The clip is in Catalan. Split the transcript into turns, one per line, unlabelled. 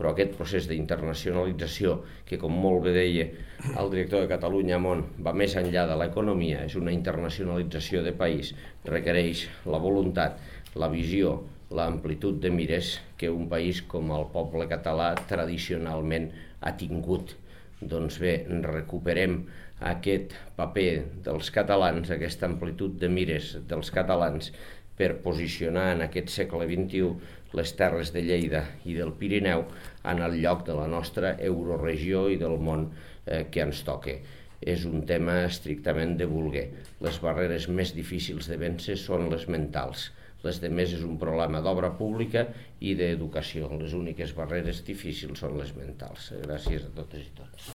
però aquest procés d'internacionalització, que com molt bé deia el director de Catalunya Món, va més enllà de l'economia, és una internacionalització de país, requereix la voluntat, la visió, l'amplitud de mires que un país com el poble català tradicionalment ha tingut. Doncs bé, recuperem aquest paper dels catalans, aquesta amplitud de mires dels catalans per posicionar en aquest segle XXI les terres de Lleida i del Pirineu en el lloc de la nostra euroregió i del món que ens toca. És un tema estrictament de voler. Les barreres més difícils de vèncer són les mentals. Les demés és un problema d'obra pública i d'educació. Les úniques barreres difícils són les mentals. Gràcies a totes i tots.